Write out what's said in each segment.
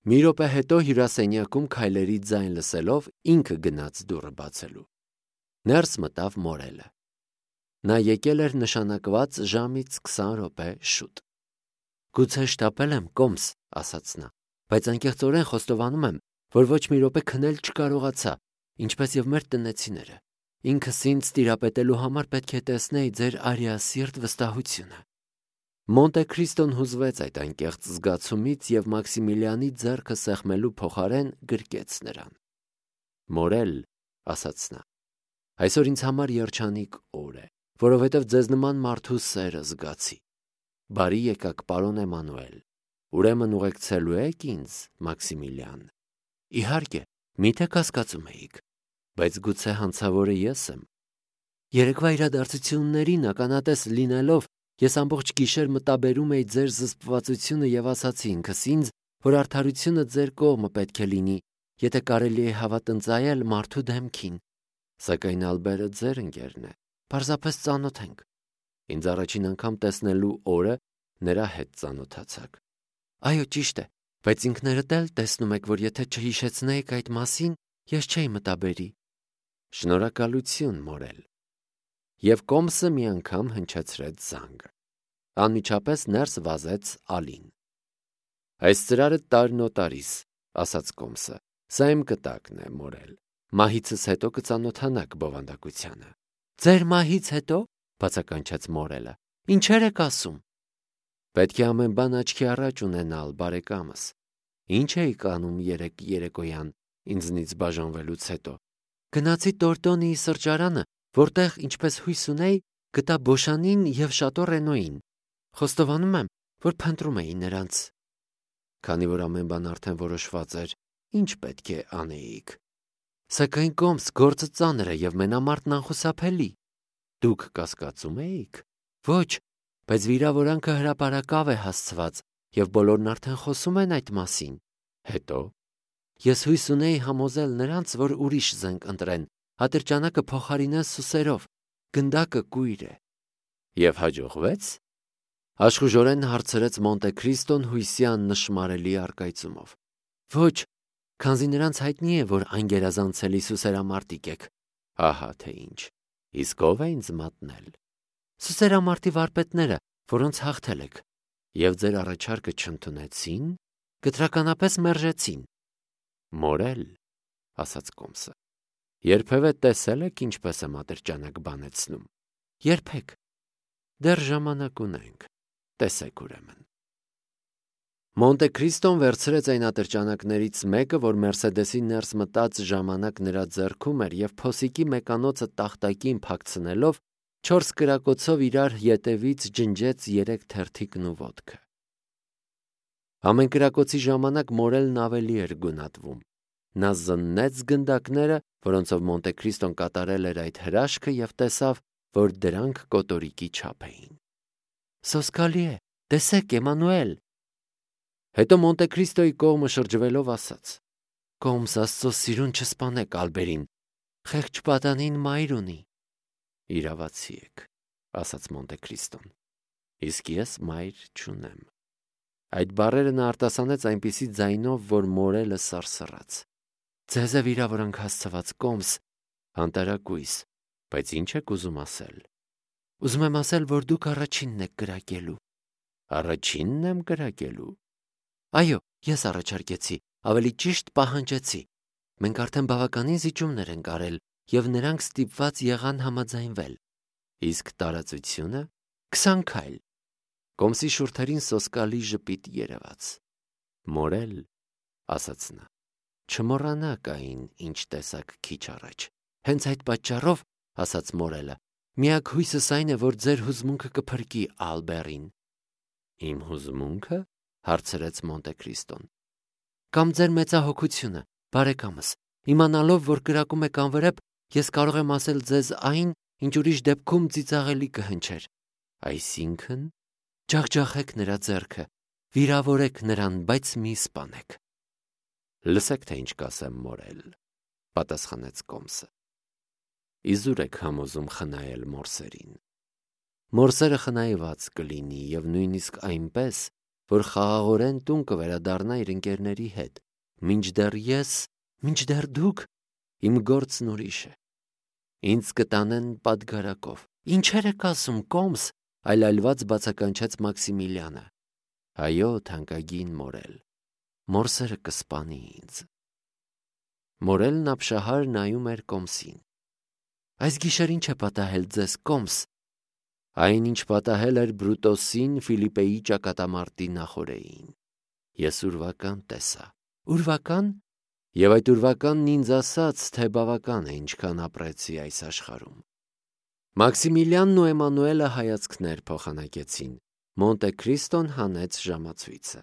Մի րոպե հետո հյուրասենյակում քայլերի ձայն լսելով ինքը գնաց դուռը բացելու։ Ներս մտավ Մորելը։ Նա եկել էր նշանակված ժամից 20 րոպե շուտ։ Գուցե շտապել եմ, Կոմս, ասաց նա, բայց անկեղծորեն խոստովանում եմ, որ ոչ մի րոպե քնել չկարողացա, ինչպես եւ մեր տնեցիները։ Ինքս ինձ տիրապետելու համար պետք է տեսնեի ձեր արիասիրտ վստահությունը։ Մոնտե Քրիստոն հուզվեց այդ անկեղծ զգացումից եւ Մաքսիմիլիանի ձեռքը սեղմելու փոխարեն գրկեց նրան։ Մորել, ասաց նա, այսօր ինձ համար երջանիկ օր է, որովհետև ձեզ նման մարդու սերը զգացի։ Բարի եկաք, պարոն Էմանուել։ Ուրեմն ուղեկցելու եք ինձ, Մաքսիմիլիան։ Իհարկե, միթե կասկածում էիք, բայց գուցե հանցավորը ես եմ։ Երեկվա իրադարձություններին ականատես լինելով, ես ամբողջ գիշեր մտաբերում էի ձեր զսպվածությունը եւ ասացի ինքս ինձ, որ արդարությունը ձեր կողմը պետք է լինի, եթե կարելի է հավատնծայել մարդու դեմքին։ Սակայն Ալբերը ձեր ընկերն է, պարզապես ծանոթ ենք։ Ինձ առաջին անգամ տեսնելու օրը նրա հետ ծանոթացաք։ Այո, ճիշտ է, բայց ինքներդ էլ տեսնում եք, որ եթե չհիշեցնեիք այդ մասին, ես չէի մտաբերի։ Շնորհակալություն, Մորել։ Եվ Կոմսը մի անգամ հնչեցրեց զանգը։ Անմիջապես ներս վազեց Ալին։ Այս ծրարը տարնոտարիս, ասաց Կոմսը։ Սա իմ կտակն է, Մորել։ Մահիցս հետո կծանոթանաք բովանդակությանը։ Ձեր մահից հետո, բացականչեց Մորելը։ Ինչեր եք ասում։ Պետք է ամեն բան աչքի առաջ ունենալ, բարեկամս։ Ինչ էիք անում երեկոյան ինձնից բաժանվելուց հետո։ Գնացի Տորտոնիի սրճարանը, որտեղ, ինչպես հույս ունեի, գտա Բոշանին եւ Շատո Ռենոյին։ Խոստովանում եմ, որ փնտրում էի նրանց։ Քանի որ ամեն բան արդեն որոշված էր, ինչ պետք է անեիք։ Սակայն Կոմս գործը ծանր է եւ մենամարտն անխուսափելի։ Դուք կասկածում էիք։ Ոչ, բայց վիրավորանքը հրապարակավ է հասցված եւ բոլորն արդեն խոսում են այդ մասին։ Հետո ես հույս ունեի համոզել նրանց, որ ուրիշ զենք ընտրեն, ատրճանակը փոխարինեն սուսերով, գնդակը կույր է։ Եվ հաջողվեց։ Աշխուժորեն հարցրեց Մոնտե Քրիստոն հույսյան նշմարելի արկայծումով։ Ոչ, քանզի նրանց հայտնի է, որ անգերազանցելի սուսերամարտիկ եք։ Ահա թե ինչ։ Իսկ ով է ինձ մատնել։ Սուսերամարտի վարպետները, որոնց հաղթել եք, եւ ձեր առաջարկը չընդունեցին, կտրականապես մերժեցին։ Մորել, ասաց Կոմսը։ Երբևէ տեսել եք ինչպես եմ ատրճանակ բանեցնում։ Երբեք։ Դեռ ժամանակ ունենք։ Տեսեք ուրեմն։ Մոնտե Քրիստոն վերցրեց այն ատրճանակներից մեկը, որ Մերսեդեսի ներս մտած ժամանակ նրա ձեռքում էր եւ փոսիկի մեկանոցը տախտակին փակցնելով 4 կրակոցով իրար ետևից ջնջեց 3 թերթիկն ու ոտքը։ Ամեն կրակոցի ժամանակ Մորելն ավելի էր գունատվում։ Նա զննեց գնդակները, որոնցով Մոնտե Քրիստոն կատարել էր այդ հրաշքը եւ տեսավ, որ դրանք կոտորիկի չափ էին։ Սոսկալի է, տեսեք, Էմանուել։ Հետո Մոնտե Քրիստոյի կողմը շրջվելով ասաց. Կոմս Աստծո սիրուն չսպանեք Ալբերին, խեղճ պատանին մայր ունի։ Իրավացի եք, ասաց Մոնտե Քրիստոն։ Իսկ ես մայր չունեմ։ Այդ բառերը նա արտասանեց այնպիսի ձայնով, որ Մորելը սարսռաց։ Ձեզ է վիրավորանք հասցված, Կոմս, անտարակույս, բայց ինչ եք ուզում ասել։ Ուզում եմ ասել, որ դուք առաջինն եք կրակելու։ Առաջինն եմ կրակելու։ Այո, ես առաջարկեցի, ավելի ճիշտ պահանջեցի։ Մենք արդեն բավականին զիջումներ ենք արել եւ նրանք ստիպված եղան համաձայնվել։ Իսկ տարածությունը 20 քայլ։ Կոմսի շուրթերին սոսկալի ժպիտ երևաց։ Մորել, ասաց նա, չմոռանաք այն, ինչ տեսակ քիչ առաջ։ Հենց այդ պատճառով, ասաց Մորելը, միակ հույսս այն է, որ ձեր հուզմունքը կփրկի Ալբերին։ Իմ հուզմունքը, հարցրեց Մոնտե Քրիստոն։ Կամ ձեր մեծահոգությունը, բարեկամս, իմանալով, որ կրակում եք անվրեպ, ես կարող եմ ասել ձեզ այն, ինչ ուրիշ դեպքում ծիծաղելի կհնչեր։ Այսինքն, ջախջախեք նրա ձեռքը, վիրավորեք նրան, բայց մի սպանեք։ Լսեք, թե ինչ կասեմ, Մորել, պատասխանեց Կոմսը։ Իզուր եք համոզում խնայել մորսերին։ Մորսերը խնայված կլինի եւ նույնիսկ այնպես, որ խաղաղորեն տուն կվերադառնա իր ընկերների հետ, մինչդեռ դուք, իմ գործն ուրիշ է։ Ինձ կտանեն պատգարակով։ Ինչեր եք ասում, կոմս, այլայլված բացականչեց Մաքսիմիլյանը։ Այո, թանկագին Մորել, մորսերը կսպանի ինձ։ Մորելն ապշահար նայում էր կոմսին։ Այս գիշեր ինչ է պատահել ձեզ, կոմս։ Այն, ինչ պատահել էր Բրուտոսին Ֆիլիպեի ճակատամարտի նախօրեին։ Ես ուրվական տեսա։ Ուրվական։ Եվ այդ ուրվականն ինձ ասաց, թե բավական է, ինչքան ապրեցի այս աշխարհում։ Մաքսիմիլյանն ու Էմանուելը հայացքներ փոխանակեցին։ Մոնտե Քրիստոն հանեց ժամացույցը։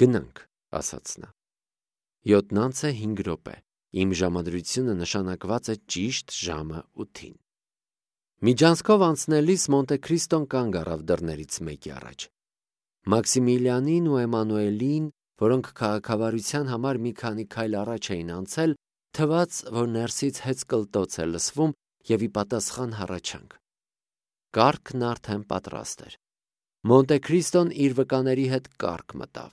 Գնանք, ասաց նա։ 7:05 րոպե։ Իմ ժամադրությունը նշանակված է ճիշտ ժամը 8-ին։ Միջանցքով անցնելիս Մոնտե Քրիստոն կանգ առավ դռներից մեկի առաջ։ Մաքսիմիլյանին ու Էմանուելին, որոնք քաղաքավարության համար մի քանի քայլ առաջ էին անցել, թվաց, որ ներսից հեծկլտոց է լսվում և ի պատասխան հառաչանք։ Կառքն արդեն պատրաստ էր։ Մոնտե Քրիստոն իր վկաների հետ կառք մտավ։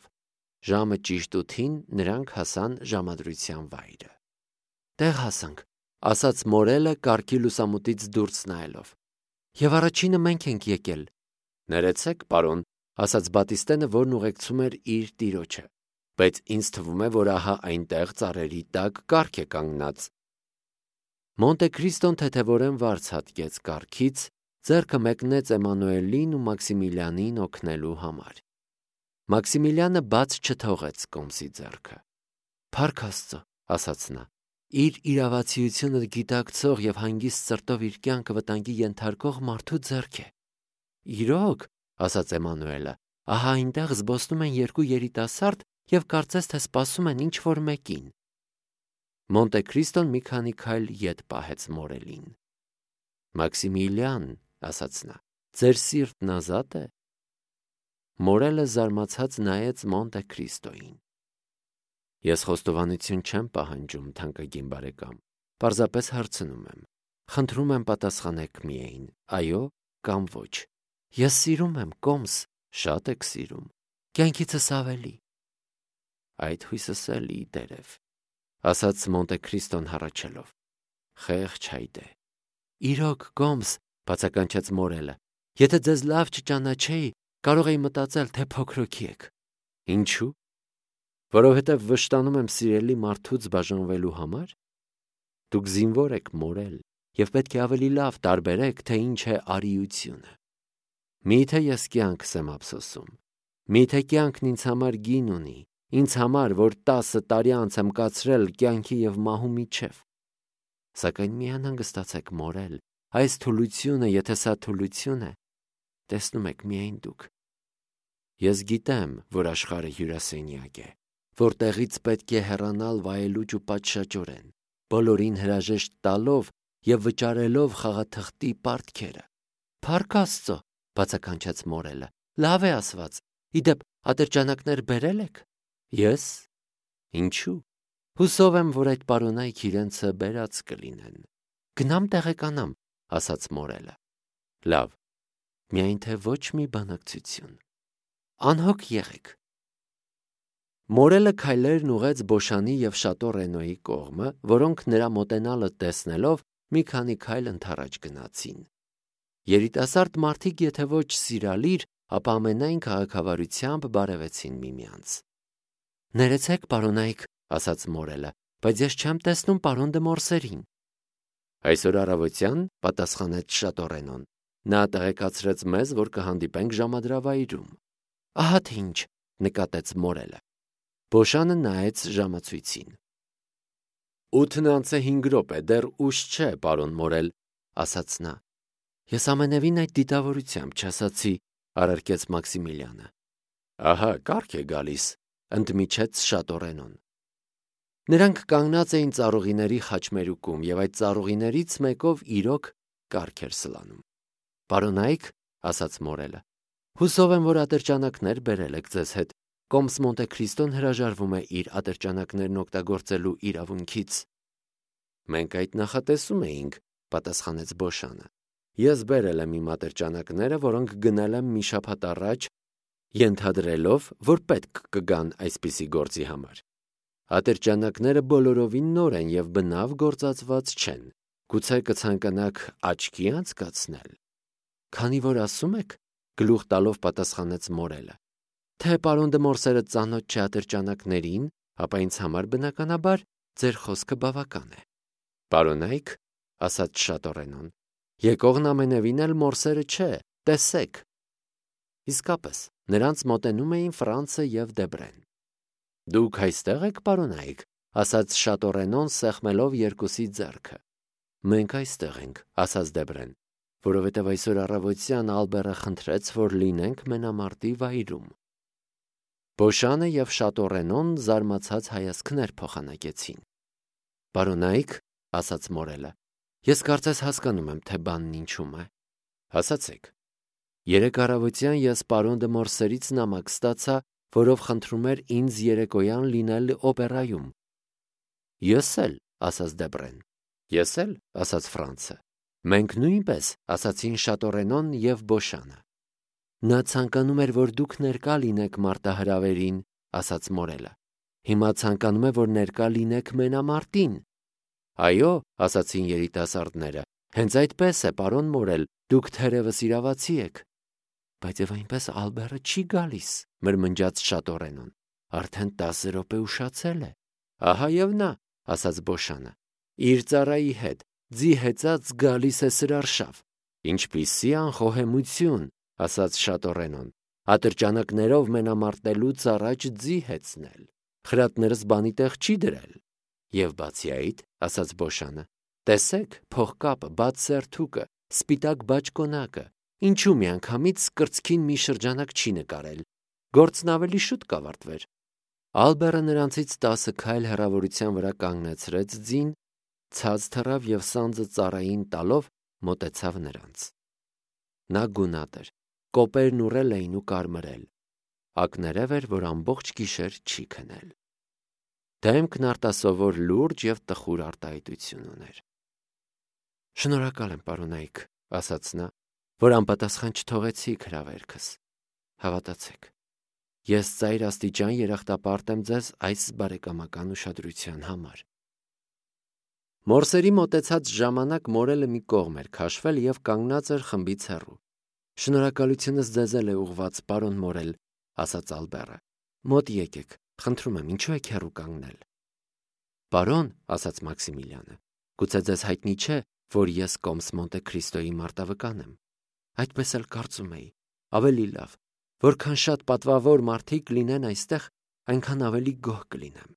Ժամը ճիշտ 8-ին նրանք հասան ժամադրության վայրը։ Տեղ հասանք, ասաց Մորելը կառքի լուսամուտից դուրս նայելով։ Եվ առաջինը մենք ենք եկել։ Ներեցեք, պարոն, ասաց Բատիստենը, որն ուղեկցում էր իր տիրոջը, բայց ինձ թվում է, որ ահա այնտեղ ծառերի տակ կառք է կանգնած։ Մոնտե Քրիստոն թեթևորեն վարձ հատկեց կառքից, ձեռքը մեկնեց Էմանուելին ու Մաքսիմիլյանին օգնելու համար։ Մաքսիմիլյանը բաց չթողեց կոմսի ձեռքը։ Փառք Աստծո, ասաց նա, իր իրավացիությունը գիտակցող և հանգիստ սրտով իր կյանքը վտանգի ենթարկող մարդու ձեռք է։ Իրոք, ասաց Էմանուելը, ահա այնտեղ զբոսնում են երկու երիտասարդ և կարծես թե սպասում են ինչ-որ մեկին։ Մոնտե Քրիստոն մի քանի քայլ ետ պահեց Մորելին։ Մաքսիմիլյան, ասաց նա, ձեր սիրտն ազատ է։ Մորելը զարմացած նայեց Մոնտե Քրիստոյին։ Ես խոստովանություն չեմ պահանջում, թանկագին բարեկամ, պարզապես հարցնում եմ։ Խնդրում եմ պատասխանեք միայն, այո կամ ոչ։ Ես սիրում եմ, կոմս, շատ եք սիրում, կյանքիցս ավելի։ Այդ հույսս էլի դերև, ասաց Մոնտե Քրիստոն հառաչելով։ Խեղճ հայտ է։ Իրոք, կոմս, բացականչեց Մորելը, եթե ձեզ լավ չճանաչեի, կարող էի մտածել, թե փոքրոքի եք։ Ինչու՞։ Որովհետև վշտանում եմ սիրելի մարդուց բաժանվելու համար։ Դուք զինվոր եք, Մորել, և պետք է ավելի լավ տարբերեք, թե ինչ է արիությունը։ Միթե ես կյանքս եմ ափսոսում։ Միթե կյանքն ինձ համար գին ունի, ինձ համար, որ 10 տարի անց եմ կացրել կյանքի և մահու միջև։ Սակայն մի անհանգստացեք, Մորել, այս թուլությունը, եթե սա թուլություն է, տեսնում եք միայն դուք։ Ես գիտեմ, որ աշխարհը հյուրասենյակ է, որտեղից պետք է հեռանալ վայելուչ ու պատշաճորեն, բոլորին հրաժեշտ տալով և վճարելով խաղաթղթի պարտքերը։ Փառք Աստծո, բացականչեց Մորելը, լավ է ասված։ Իդեպ, ատրճանակներ բերել եք։ Ես։ Ինչու։ Հուսով եմ, որ այդ պարոնայք իրենցը բերած կլինեն։ Գնամ տեղեկանամ, ասաց Մորելը։ Լավ, միայն թե ոչ մի բանակցություն։ Անհոգ եղեք։ Մորելը քայլերն ուղեց Բոշանի և Շատո Ռենոյի կողմը, որոնք նրա մոտենալը տեսնելով մի քանի քայլ ընդառաջ գնացին։ Երիտասարդ մարդիկ եթե ոչ սիրալիր, ապա ամենայն քաղաքավարությամբ բարևեցին միմյանց։ Ներեցեք, պարոնայք, ասաց Մորելը, բայց ես չեմ տեսնում պարոն դը Մորսերին։ Այսօր առավոտյան, պատասխանեց Շատո Ռենոն, նա տեղեկացրեց մեզ, որ կհանդիպենք ժամադրավայրում։ Ահա թե ինչ, նկատեց Մորելը։ Բոշանը նայեց ժամացույցին։ 8:05 րոպե, դեռ ուշ չէ, պարոն Մորել, ասաց նա։ Ես ամենևին այդ դիտավորությամբ չասացի, առարկեց Մաքսիմիլյանը։ Ահա, կառք է գալիս, ընդմիջեց Շատո Ռենոն։ Նրանք կանգնած էին ծառուղիների խաչմերուկում և այդ ծառուղիներից մեկով իրոք կառք էր սլանում։ Պարոնայք, ասաց Մորելը, հուսով եմ, որ ատրճանակներ բերել եք ձեզ հետ։ Կոմս Մոնտե Քրիստոն հրաժարվում է իր ատրճանակներն օգտագործելու իրավունքից։ Մենք այդ նախատեսում էինք, պատասխանեց Բոշանը։ Ես բերել եմ իմ ատրճանակները, որոնք գնել եմ մի շաբաթ առաջ ենթադրելով, որ պետք կգան այսպիսի գործի համար։ Ատրճանակները բոլորովին նոր են և բնավ գործածված չեն։ Գուցե կցանկանաք աչքի անցկացնել։ Քանի որ ասում եք, գլուխ տալով պատասխանեց մորելը, թե պարոն դե Մորսերը ծանոթ չէ ատրճանակներին, ապա ինձ համար բնականաբար ձեր խոսքը բավական է։ Պարոնայք, ասաց Շատորենոն, եկողն ամենևին էլ Մորսերը չէ, տեսեք։ Իսկապես, նրանց մոտենում էին Ֆրանցը և Դեբրեն։ Դուք այստեղ եք, պարոնայք, ասաց Շատորենոն սեղմելով երկուսի ձեռքը։ Մենք այստեղ ենք, ասաց Դեբրեն, որովհետև այսօր առավոտյան Ալբերը խնդրեց, որ լինենք մենամարտի վայրում։ Բոշանը և Շատորենոն զարմացած հայացքներ փոխանակեցին։ Պարոնայք, ասաց մորելը, ես կարծես հասկանում եմ, թե բանն ինչում է։ Ասացեք։ Երեկ առավոտյան ես պարոն դե Մորսերից նամակ ստացա, որով խնդրում էր ինձ երեկոյան լինել օպերայում։ Ես էլ, ասաց Դեբրեն։ Ես էլ, ասաց Ֆրանցը։ Մենք նույնպես, ասացին Շատորենոն և Բոշանը։ Նա ցանկանում էր, որ դուք ներկա լինեք մարտահրավերին, ասաց մորելը։ Հիմա ցանկանում է, որ ներկա լինեք մենամարտին։ Այո, ասացին երիտասարդները, հենց այդպես է, պարոն մորել, դուք թերևս իրավացի եք։ Բայց եւ այնպես Ալբերը չի գալիս, մրմնջաց Շատորենոն։ Արդեն 10 րոպե ուշացել է։ Ահա եւ նա, ասաց Բոշանը։ Իր ծառայի հետ, ձի հեծած գալիս է սրարշավ։ Ինչպիսի անխոհեմություն, ասաց Շատորենոն։ Ատրճանակներով մենամարտելուց առաջ ձի հեծնել։ Խրատներս բանի տեղ չի դրել։ Եվ բացի այդ, ասաց Բոշանը, տեսեք, փողկապը, բաց սերթուկը, սպիտակ բաճկոնակը, ինչու միանգամից կրծքին մի շրջանակ չի նկարել։ Գործն ավելի շուտ կավարտվեր։ Ալբերը նրանցից 10 քայլ հեռավորության վրա կանգնեցրեց ձին, ցած թռավ և սանձը ծառային տալով մոտեցավ նրանց։ Նա գունատ էր, կոպերն ուռել էին ու կարմրել։ Ակներև էր, որ ամբողջ գիշեր չի քնել։ Դեմքն արտասովոր լուրջ և տխուր արտահայտություն ուներ։ Շնորհակալ եմ, պարոնայք, ասաց նա, որ անպատասխան չթողեցիք հրավերքս։ Հավատացեք, ես ծայր աստիճան երախտապարտ եմ ձեզ այս բարեկամական ուշադրության համար։ Մորսերի մոտեցած ժամանակ մորելը մի կողմ էր քաշվել և կանգնած էր խմբից հեռու։ Շնորհակալությունս ձեզ էլ է ուղված, պարոն մորել, ասաց Ալբերը։ Մոտ եկեք, խնդրում եմ, ինչու եք հեռու կանգնել։ Պարոն, ասաց Մաքսիմիլյանը, գուցե ձեզ հայտնի չէ, որ ես Կոմս Մոնտե Քրիստոյի մարտավկան եմ։ Այդպես էլ կարծում էի։ Ավելի լավ, որքան շատ պատվավոր մարդիկ լինեն այստեղ, այնքան ավելի գոհ կլինեմ։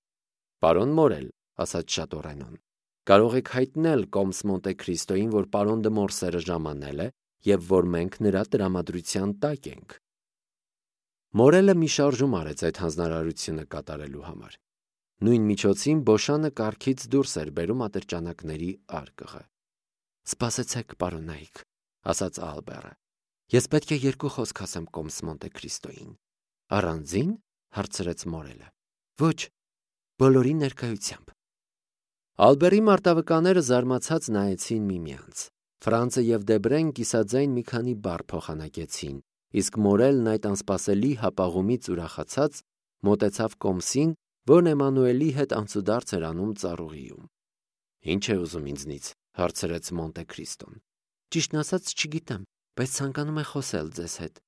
Պարոն մորել, ասաց Շատորենոն, կարող եք հայտնել Կոմս Մոնտե Քրիստոյին, որ պարոն դե Մորսերը ժամանել է և որ մենք նրա տրամադրության տակ ենք։ Մորելը մի շարժում արեց այդ հանձնարարությունը կատարելու համար։ Նույն միջոցին Բոշանը կառքից դուրս էր բերում ատրճանակների արկղը։ Սպասեցեք, պարոնայք, ասաց Ալբերը։ Ես պետք է երկու խոսք ասեմ Կոմս Մոնտե Քրիստոյին։ Առանձին, հարցրեց մորելը։ Ոչ, բոլորի ներկայությամբ։ Ալբերի մարտավկաները զարմացած նայեցին միմյանց։ Ֆրանցը և Դեբրեն կիսաձայն մի քանի բառ փոխանակեցին, իսկ մորելն այդ անսպասելի հապաղումից ուրախացած մոտեցավ Կոմսին, որն Էմանուելի հետ անցուդարձ էր անում ծառուղիում։ Ինչ է ուզում ինձնից, հարցրեց Մոնտե Քրիստոն։ Ճիշտն ասած չգիտեմ, բայց ցանկանում է խոսել ձեզ հետ։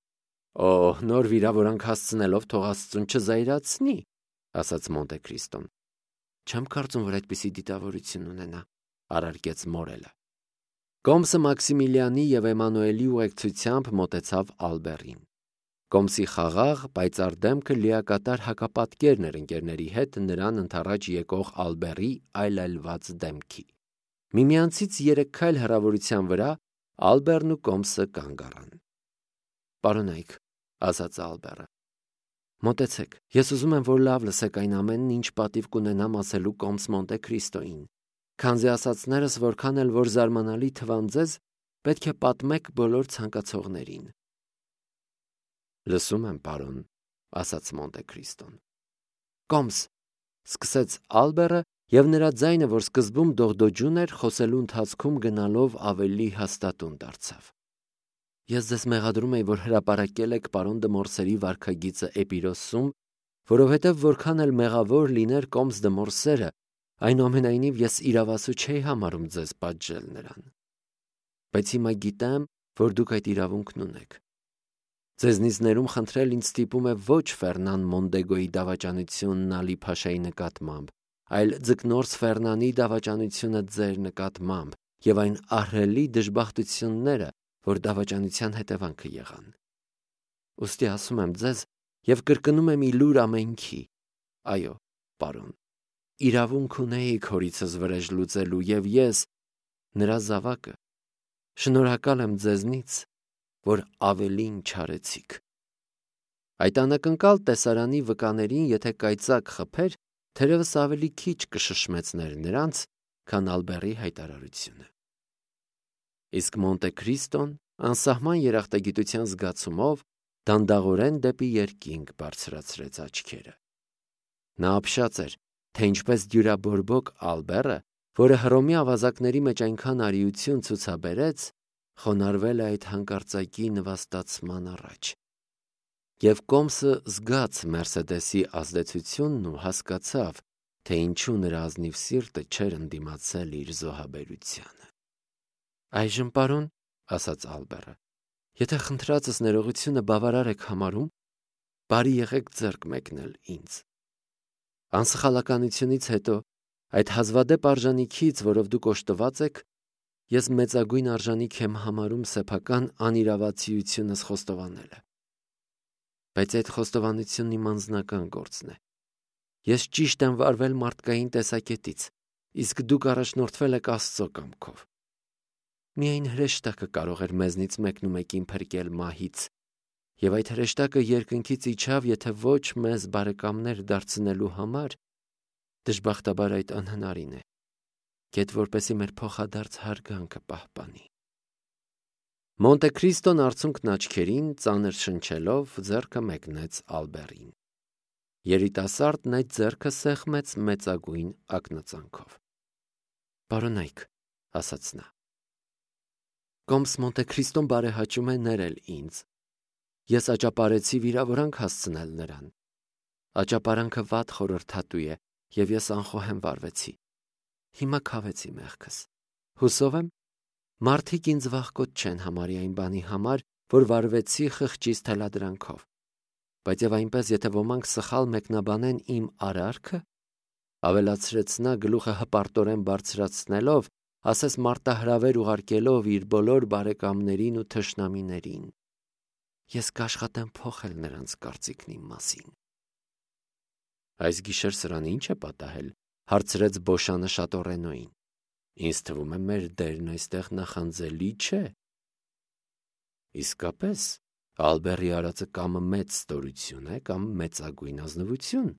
Օհ, նոր վիրավորանք հասցնելով թող Աստծուն չզայրացնի, ասաց Մոնտե Քրիստոն։ Չեմ կարծում, որ այդպիսի դիտավորություն ունենա, առարկեց մորելը։ Կոմսը Մաքսիմիլյանի և Էմանուելի ուղեկցությամբ մոտեցավ Ալբերին։ Կոմսի խաղաղ, պայծառ դեմքը լիակատար հակապատկերն էր ընկերների հետ նրան ընդառաջ եկող Ալբերի այլայլված դեմքի։ Միմյանցից 3 քայլ հեռավորության վրա Ալբերն ու Կոմսը կանգ առան։ Պարոնայք, ասաց Ալբերը, մոտեցեք, ես ուզում եմ, որ լավ լսեք այն ամենն, ինչ պատիվ կունենամ ասելու Կոմս Մոնտե Քրիստոյին։ Քանզի ասածներս որքան էլ որ զարմանալի թվան ձեզ, պետք է պատմեք բոլոր ցանկացողներին։ Լսում եմ, պարոն, ասաց Մոնտե Քրիստոն։ Կոմս, սկսեց Ալբերը, և նրա ձայնը, որ սկզբում դողդոջուն էր, խոսելու ընթացքում գնալով ավելի հաստատուն դարձավ։ Ես ձեզ մեղադրում եի, որ հրապարակել եք պարոն Դմորսերի վարքագիծը Էպիրոսում, որովհետև որքան էլ մեղավոր լիներ Կոմս Դմորսերը, այնուամենայնիվ ես իրավասու չէի համարում ձեզ պատժել նրան։ Բայց հիմա գիտեմ, որ դուք այդ իրավունքն ունեք։ Ձեզնից ներում խնդրել ինձ ստիպում է ոչ Ֆերնան Մոնդեգոյի դավաճանությունն Ալի Փաշայի նկատմամբ, այլ ձկնորս Ֆերնանի դավաճանությունը ձեր նկատմամբ և այն ահռելի դժբախտությունները, որ դավաճանության հետևանքը եղան։ Ուստի ասում եմ ձեզ և կրկնում եմ ի լուր ամենքի. այո, պարոն, իրավունք ունեիք հորիցս վրեժ լուծելու, և ես, նրա զավակը, շնորհակալ եմ ձեզնից, որ ավելին չարեցիք։ Այդ անակնկալ տեսարանի վկաներին եթե կայծակ խփեր, թերևս ավելի քիչ կշշմեցներ նրանց, քան Ալբերի հայտարարությունը։ Իսկ Մոնտե Քրիստոն անսահման երախտագիտության զգացումով դանդաղորեն դեպի երկինք բարձրացրեց աչքերը։ Նա ապշած էր, թե ինչպես դյուրաբորբոք Ալբերը, որը Հռոմի ավազակների մեջ այնքան արիություն ցուցաբերեց, խոնարհվել է այդ հանկարծակի նվաստացման առաջ։ Եվ Կոմսը զգաց Մերսեդեսի ազդեցությունն ու հասկացավ, թե ինչու նրա ազնիվ սիրտը չէր ընդդիմացել իր զոհաբերությանը։ Այժմ, պարոն, ասաց Ալբերը, եթե խնդրածս ներողությունը բավարար եք համարում, բարի եղեք ձեռք մեկնել ինձ։ Անսխալականությունից հետո, այդ հազվադեպ արժանիքից, որով դուք օժտված եք, ես մեծագույն արժանիք եմ համարում սեփական անիրավացիությունս խոստովանելը։ Բայց այդ խոստովանությունն իմ անձնական գործն է։ Ես ճիշտ եմ վարվել մարդկային տեսակետից, իսկ դուք առաջնորդվել եք Աստծո կամքով։ Միայն հրեշտակը կարող էր մեզնից մեկնումեկին փրկել մահից, և այդ հրեշտակը երկնքից իջավ, եթե ոչ մեզ բարեկամներ դարձնելու համար, դժբախտաբար այդ անհնարին է, գեթ որպեսզի մեր փոխադարձ հարգանքը պահպանի։ Մոնտե Քրիստոն արցունքն աչքերին ծանր շնչելով ձեռքը մեկնեց Ալբերին։ Երիտասարդն այդ ձեռքը սեղմեց մեծագույն ակնածանքով։ Պարոնայք, ասաց նա, Կոմս Մոնտե Քրիստոն բարեհաճում է ներել ինձ։ Ես աճապարեցի վիրավորանք հասցնել նրան։ Աճապարանքը վատ խորհրդատու է, և ես անխոհեմ վարվեցի։ Հիմա քավեցի մեղքս։ Հուսով եմ, մարդիկ ինձ վախկոտ չեն համարի այն բանի համար, որ վարվեցի խղճիս թելադրանքով։ Բայց և այնպես, եթե ոմանք սխալ մեկնաբանեն իմ արարքը, ավելացրեց նա գլուխը հպարտորեն բարձրացնելով, ասես մարտահրավեր ուղարկելով իր բոլոր բարեկամներին ու թշնամիներին, ես կաշխատեմ փոխել նրանց կարծիքն իմ մասին։ Այս գիշեր սրան ինչ է պատահել, հարցրեց Բոշանը Շատորենոին։ Ինձ թվում է մեր դերն այստեղ նախանձելի չէ։ Իսկապես, Ալբերի արածը կամ մեծ ստորություն է, կամ մեծագույն ազնվություն,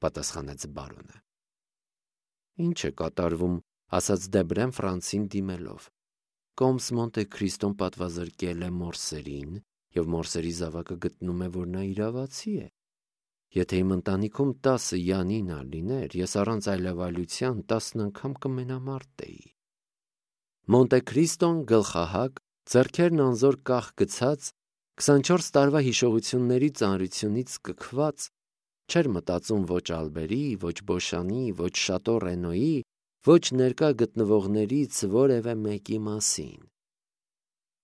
պատասխանեց բարոնը։ Ինչ է կատարվում, ասաց Դեբրեն Ֆրանսին դիմելով։ Կոմս Մոնտե Քրիստոն պատվազրկել է Մորսերին, և Մորսերի զավակը գտնում է, որ նա իրավացի է։ Եթե իմ ընտանիքում 10 յանինա լիներ, ես առանց այլևայլության 10 անգամ կմենամարտեի։ Մոնտե Քրիստոն գլխահակ, ձեռքերն անզոր կախ գցած, 24 տարվա հիշողությունների ծանրությունից սկքված, չէր մտածում ոչ Ալբերի, ոչ Բոշանի, ոչ Շատո Ռենոյի, ոչ ներկա գտնվողներից որևէ մեկի մասին։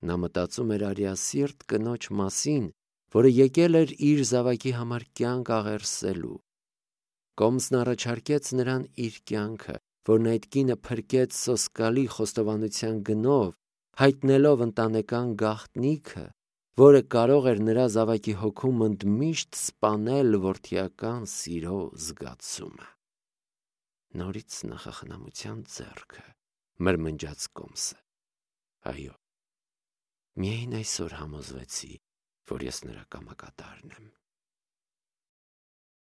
Նա մտածում էր արիասիրտ կնոջ մասին, որը եկել էր իր զավակի համար կյանք աղերսելու։ Կոմսն առաջարկեց նրան իր կյանքը, որն այդ կինը փրկեց սոսկալի խոստովանության գնով, հայտնելով ընտանեկան գաղտնիքը, որը կարող էր նրա զավակի հոգում ընդմիշտ սպանել որդիական սիրո զգացումը։ Նորից նախախնամության ձեռքը, մրմնջաց Կոմսը։ Այո, միայն այսօր համոզվեցի, որ ես նրա կամակատարն եմ։